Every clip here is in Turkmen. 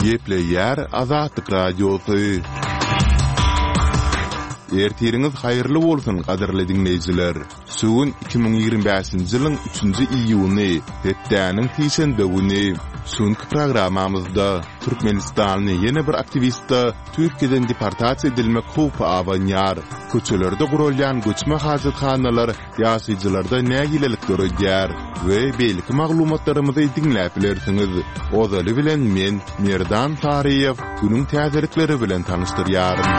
Gepleýär Azatlyk Radiosy. Ertiriňiz haýyrly bolsun, gadyrly diňleýjiler! Şu gün 2025-nji ýylyň üçünji iýuny, hepdäniň sişenbe güni. Şu günki programmamyzda türkmenistanly ýene bir aktiwiste Türkiýeden deportasiýa edilmek howpy abanýar. Köçelerde guralýan göçme hajathanalar ýaşaýjylarda nägilelik döredýär we beýleki maglumatlarymyzy diňläp bilersiňiz. Ozaly bilen men, Merdan Saryýew, günüň täzelikleri bilen tanyşdyrýaryn.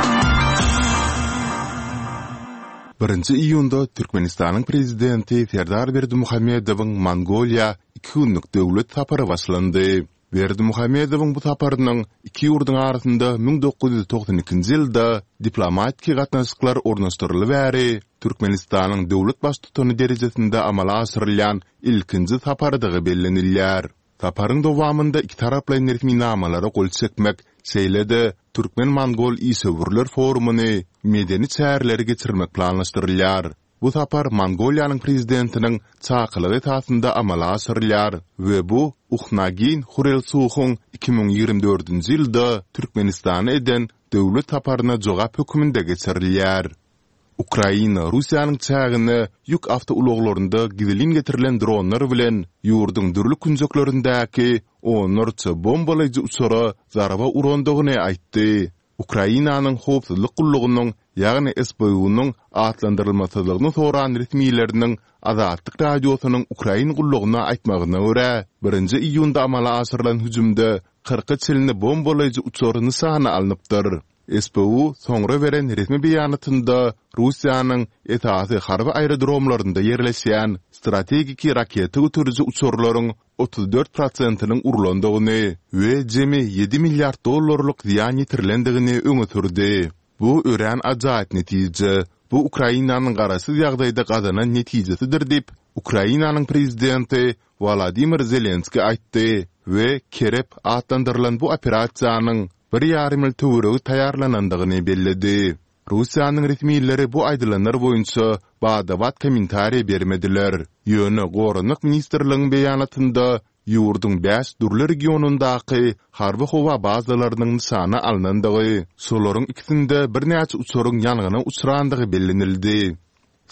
Birinji iýunda Türkmenistanyň Prezidenti Serdar Berdimuhamedowyň Mongoliýa iki günlük döwlet sapary başlandy. Berdimuhamedowyň bu saparynyň iki ýurduň arasynda 1992-nji ýylda diplomatiki gatnaşyklar ornaşdyryly bäri Türkmenistanyň döwlet Baştutany derejesinde amala aşyrylýan ilkinji saparydygy bellenilýär. Saparyň dowamynda ikitaraplaýyn resminamalara gol çekmek, şeýle-de türkmen-mongol işewürler forumyny, medeni çäreleri geçirmek planlaşdyrylýar. Bu sapar Mongoliýanyň Prezidentiniň çakylygy esasynda amala aşyrylýar we bu Uhnaagiýn Hurelsuhuň 2024-nji ýylda Türkmenistana eden döwlet saparyna jogap hökmünde geçirilýär. Ukraina Russiýanyň çägine ýük awtoulaglarynda gizlin getirilen dronlar bilen ýurduň dürli künjeklerindäki onlarça bombalaýjy uçara zarba urandygyny aýtdy. Ukrainanyň howpsuzlyk gullugynyň, ýagny SBU-nyň atlandyrylmasyzlygyny soran resmileriniň Azatlyk Radiosynyň Ukrain gullugyna aýtmagyna görä, birinji iýunda amala aşyrylan hüjümde kyrka çenli bombalaýjy uçar nyşana alnypdyr. SBU soňra beren resmi beýanatynda Russiýanyň esasy harby aerodromlarynda ýerleşýän strategiki raketa göteriji uçarlaryň 34 prosentiniň urlandygyny we jemi ýedi milliard dollarlyk zyýan ýetirilendigini öňe sürdi. Bu örän ajaýyp netije. Bu Ukrainanyň garaşsyz ýagdaýda gazanan netijesidir diýip, Ukrainanyň prezidenti Wolodymyr Zelenskiý aýtdy we Kerep atlandyrylan bu operasiýanyň bir ýarym ýyl töweregi taýýarlanandygyny belledi. Russiýanyň resmileri bu aýdylanlar boýunça bada-bat kommentariý bermediler. Ýöne Goranmak ministrligiň beýanatynda ýurduň bäş dürli regionyndaky harby-howa bazalarynyň nyşana alnandygy, şolaryň ikisinde birnäçe uçaryň ýangyna uçrandygy bellenildi.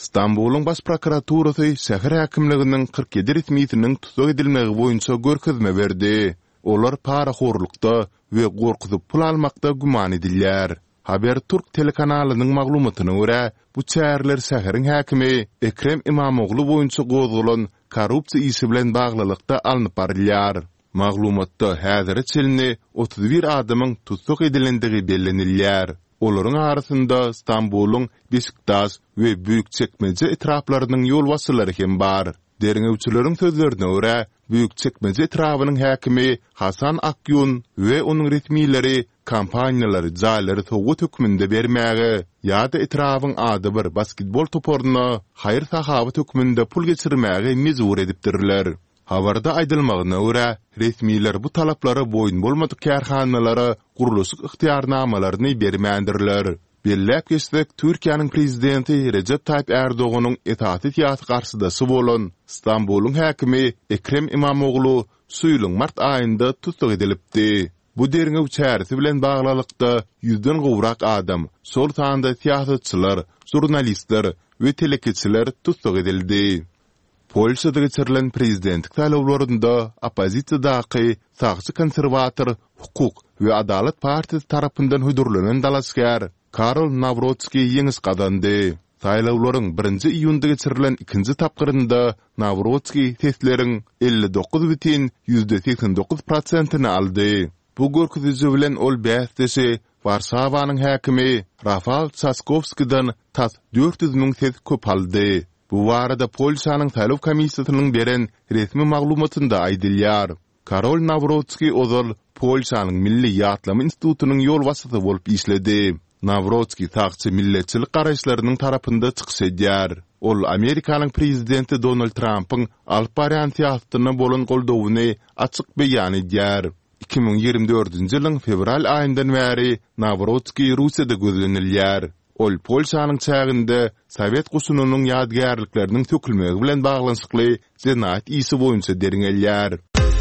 Stambulyň Baş prokuraturasy şäher häkimliginiň 47 resmisiniň tussag edilmegi boýunça görkezme berdi. Olar parahorlukda we gorkuzyp pul almakda güman edilýär. Haberturk telekanalynyň maglumatyna görä, bu çäreler şäheriň häkimi Ekrem Imamoglu boýunça gozgalan korrupsiýa işi bilen baglylykda alnyp barylýar. Maglumatda häzire çenli 31 adamyň tussag edilendigi bellenilýär. Olaryň arasynda Stambulyň Beşiktaş we Büýükçekmeje etraplarynyň ýolbaşçylary hem bar. Derňewçileriň sözlerine görä, Büýükçekmeje etrabynyň häkimi Hasan Akýun we onuň resmileri kompaniýalary jaýlary sowgat hökmünde bermäge ýa-da etrabyň adybir basketbol toparyna haýyr-sahawat hökmünde pul geçirmäge mejbur edipdirler. Habarda aýdylmagyna görä, resmiler bu talaplara boýun bolmadyk kärhanalara gurluşyk ygtyýarnamalaryny bermändirler. Belläp geçsek, Türkiýäniň prezidenti Rejep Taýyp Ärdoganyň esasy syýasy garşydaşy bolan Stambulyň häkimi Ekrem Imamoglu şu ýylyň mart aýynda tussag edilipdi. Bu derňew çäresi bilen baglylykda ýüzden gowrak adam, şol sanda syýasatçylar, žurnalistler we telekeçiler tussag edildi. Polşada geçirilen prezidentlik saýlawlarynda oppozisiýadaky sagçy konserwator Hukuk we adalat partiýasy tarapyndan hödürlenen dalaşgär Karol Nawrotskiý ýeňiş gazandy. Saýlawlaryň birinji iýunda geçirilen ikinji tapgyrynda Nawrotskiý sesleriň 59 bütin 89 prosentini aldy. Bu görkeziji bilen ol bäsdeşi Warşawanyň häkimi Rafal Çaskowskiden tas 400 müň ses köp aldy. Bu barada Polşanyň saýlaw komissiýasynyň beren resmi maglumatynda aýdylýar. Karol Nawrotskiý ozal Polşanyň Milli ýatlama institutynyň ýolbaşçysy bolup işledi. Nawrotskiý sagçy milletçilik garaýyşlarynyň tarapynda çykyş edýär. Ol Amerikanyň prezidenti Donald Trampyň alyp barýan syýasatyna bolan goldawyny açyk beýan edýär. 2024-nji ýylyň fewral aýyndan bäri Nawrotskiý Russiýada gözlenilýär. Ol Polşanyň çäginde sowet goşunynyň ýadygärlikleriniň sökülmegi bilen baglanyşykly jenaýat işi boýunça derňelýär.